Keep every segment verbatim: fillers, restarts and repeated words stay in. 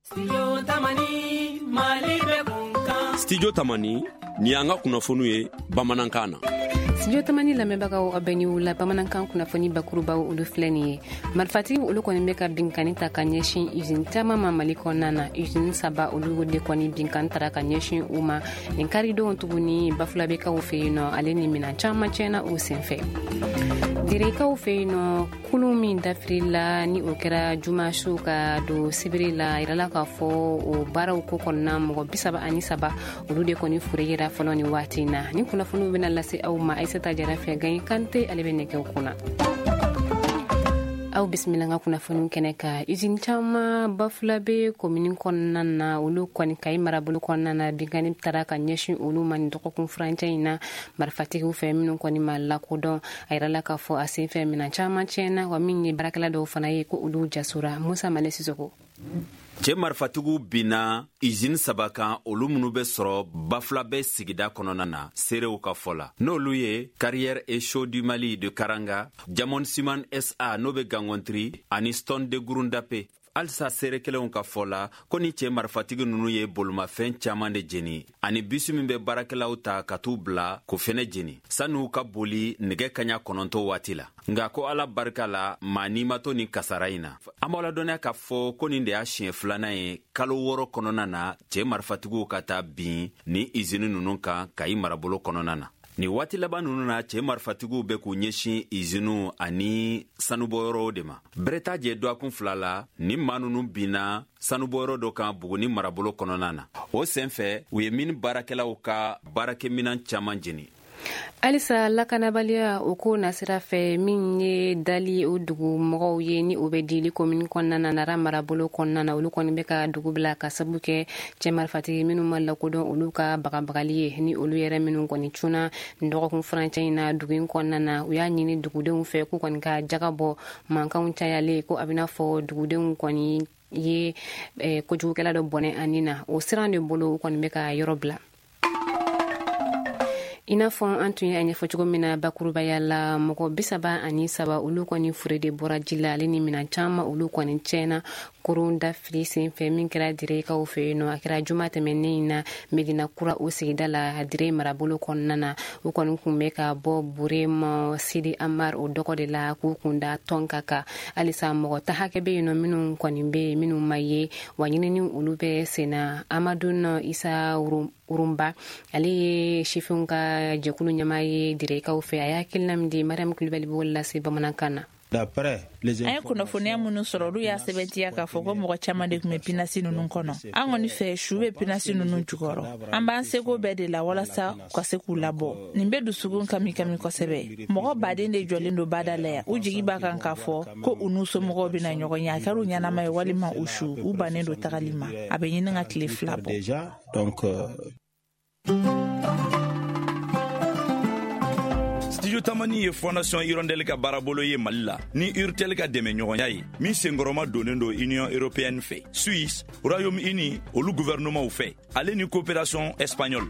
Studio Tamani, Mali bɛ kunkan. Studio Tamani, ni y'an ka kunnafoniw ye bamanankan na. Studio Tamani lamɛnbagaw, aw bɛ ni wula. Bamanankan kunnafoni bakurubaw, olu filɛ nin ye. Marifatigiw, olu kɔni bɛ ka binkani ta ka ɲɛsin usine caman ma Mali kɔnɔna na. Usine saba, olu de kɔni binkan tara ka ɲɛsin u ma nin karidon tuguni Bafulabekaw fɛ yen nɔ, ale ni minan caman tiɲɛna o senfɛ. Direkaw fɛ yen nɔ, kulun min dafirila ni o kɛra juma su ka don sibiri la, yirala k'a fɔ o baaraw ko kɔnɔna, mɔgɔ bisaba ani saba, olu de kɔni fure yera fɔlɔ ni waati in na. Ni kunnafoniw bɛna lase aw ma Aisata Jara fɛ. Gaɲi Kante, ale bɛ nɛgɛw kunna. Aw bisimila ka kunnafoniw kɛnɛ ka. Usine caman Bafulabe komini kɔnɔna na, olu kɔni Kayi marabolo kɔnɔna na, binkani taara ka ɲɛsin olu ma nin dɔgɔkun furancɛ in na marifatigiw fɛ minnu kɔni ma lakodɔn. A yirala k'a fɔ a senfɛ, minɛn caman tiɲɛna, wa min ye baarakɛla dɔw fana ye, ko olu jasora. Musa Male Sisoko. Cɛ marifatigiw binna izini saba kan, olu minnu bɛ sɔrɔ Bafulabɛ sigida kɔnɔna na. Seerew ka fɔ la, n'olu ye Carrière et Chaux du Mali de Karanga, Diamond Ciment S A n'o bɛ Gangɔntiri, ani Stone de Gurundape. Halisa seere kelenw ka fɔ la, ko ni cɛɛ marifatigi nunu ye bolomafɛn caaman de jeni, ani bisi min bɛ baarakɛlaw ta ka t'u bila k'o fɛnɛ jeni san'u ka boli nɛgɛ kaɲa kɔnɔntɔ waati la. Nga ko Ala barika la, maa n'i ma to nin kasara in na. An b'aw ladɔnniya k'a fɔ ko nin de y'a siɲɛ filanan ye kalo wɔɔrɔ kɔnɔna na, cɛɛ marifatigiw ka taa bin ni izini nunu kan Kayi marabolo kɔnɔna na. Nin waati laban nunu na, cɛɛ marifatigiw bɛ k'u ɲɛsin iziniw ani sanubɔyɔrɔw de ma. Bɛrɛ t'a jɛ dɔgɔkun fila la, ni maa nunu binna sanubɔyɔrɔ dɔ kan Buguni marabolo kɔnɔna na. O sen fɛ, u ye mini baarakɛlaw ka baarakɛminan caaman jeni. Halisa lakanabaliya o ko nasira fɛ, min ye Dali o dugu mɔgɔw ye ni o bɛ Dili komini kɔnɔna na, Nara marabolo kɔnɔna na, olu kɔni bɛ ka dugu bila ka sabu kɛ cɛ marifatigi minnu ma lakodɔn, olu ka bagabagali ye, ni olu yɛrɛ minnu kɔni cunna nin dɔgɔkun furancɛ in na dugu in kɔnɔna na. U y'a ɲini dugudenw fɛ k'u kɔni ka jaga bɔ mankanw cayalen, ko a bɛna fɔ dugudenw kɔni ye eh, kojugukɛla dɔ bɔnɛ ani na. O siran de bolo, u kɔni bɛ ka yɔrɔ bila. I n'a fɔ an tun ye a ɲɛfɔ cogo min na bakurubaya la, mɔgɔ bisaba ani saba, olu kɔni fure de bɔra ji la, ale ni minan caman, olu kɔni tiɲɛna koron dafili senfɛ min kɛra Direkaw fɛ yen nɔ. A kɛra juma tɛmɛnen in na Medina Kura o sigida la, Dire marabolo kɔnɔna na. U kɔni kun bɛ ka bɔ Burema Sidi Amar o dɔgɔ de la k'u kunda tɔnka kan. Halisa mɔgɔ ta hakɛ bɛ yen nɔ minnu kɔni bɛ yen minnu ma ye, wa ɲinini olu bɛ senna. Amadu Isa Urunba, ale ye sifinw ka jɛkulu ɲɛmaa ye Direkaw fɛ, a y'a hakilina min di, Mariam Kulibali b'o lase bamanankan na. An ye kunnafoniya minnu sɔrɔ, olu y'a sɛbɛntiya k'a fɔ ko mɔgɔ caman de tun bɛ pinasi ninnu kɔnɔ. An kɔni fɛ, su bɛ pinasi ninnu jukɔrɔ. An b'an seko bɛɛ de la walasa u ka se k'u labɔ. Nin bɛ dusukun kami kami kosɛbɛ. Mɔgɔ baden de jɔlen don bada la yan, u jigi b'a kan k'a fɔ ko u n'u somɔgɔw bɛna ɲɔgɔn ye, a kɛra u ɲɛnama ye walima u su. U bannen don tagali ma, a bɛ ɲini ka tile fila bɔ. Studio Tamani ye Fondation Hirondelle ka baarabolo ye Mali la ni Urtel ka dɛmɛɲɔgɔnya ye, min senkɔrɔma donnen don Union européenne fɛ, Suisse, Royaume Uni olu gouvernementw fɛ, ale ni coopération espagnole.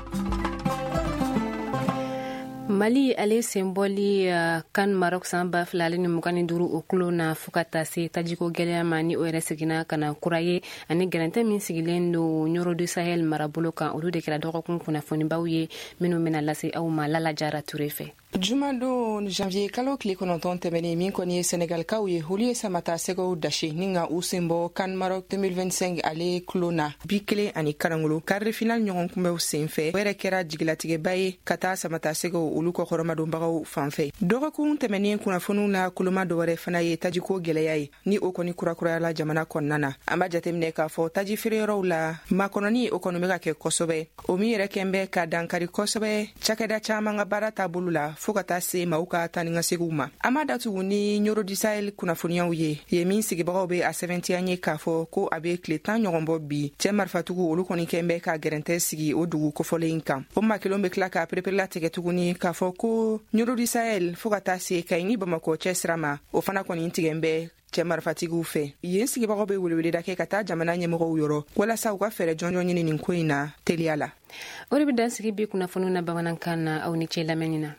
Mali ale senbɔli uh, CAN Maroc san ba fila ale ni mugan ni duuru o kulo na, fo ka taa se tajiko gɛlɛya ma ni o yɛrɛ seginna ka na kura ye, ani gɛrɛntɛ min sigilen don Ɲɔrɔ du Sahel marabolo kan, olu de kɛra dɔgɔkun kunnafonibaw ye minnu bɛna lase aw ma Lala Jara Ture fɛ. Jumadon janvier kalo tile kɔnɔntɔn tɛmɛnen, min kɔni ye Senegalikaw ye, olu ye samata sɛgɛw dasi ni ka u sen bɔ CAN Maroc deux mille vingt-cinq ale kulo na bi kelen ani karangolo quart de finale ɲɔgɔn kunbɛw sen fɛ. O yɛrɛ kɛra jigilatigɛba ye ka taa samata sɛgɛw olu kɔkɔrɔmadonbagaw fan fɛ. Dɔgɔkun tɛmɛnen kunnafoniw na, koloma dɔwɛrɛ fana ye tajiko gwɛlɛya ye ni o kɔni kurakurayala jamana kɔnɔna na. An b'a jateminɛ k'a fɔ taji feereyɔrɔw la, makɔnɔni o kɔni bɛ ka kɛ kosɛbɛ, o min yɛrɛ kɛn bɛ ka dankari kosɛbɛ cakɛda caaman ka baara taabolo la, fɔɔ ka taa se maaw ka taa ni ka segiw ma. An b'a datugu ni Ɲoro du Sahel kunnafoniyaw ye, ye min sigibagaw be a sɛbɛntiya ye k'a fɔ ko a be tile tan ɲɔgɔn bɔ bi, cɛɛ marifatigiw olu kɔni kɛn bɛ ka gɛrɛntɛ sigi o dugu kofɔlen kan. O maa kelenw be tila ka pereperelatigɛ tuguni k'a fɔ ko Ɲoro du Sahel fɔɔ ka taa se Kayi ni Bamakɔ cɛ sira ma, o fana kɔni tigɛn bɛ cɛ marifatigiw fɛ. Yen sigibagaw be weleweleda kɛ ka taa jamana ɲɛmɔgɔw yɔrɔ walasa u ka fɛɛrɛ jɔnjɔn ɲini nin ko in na teliya la. O de bɛ dan sigi bi kunnafoniw na bamanankan na. Aw ni ce lamɛnni na.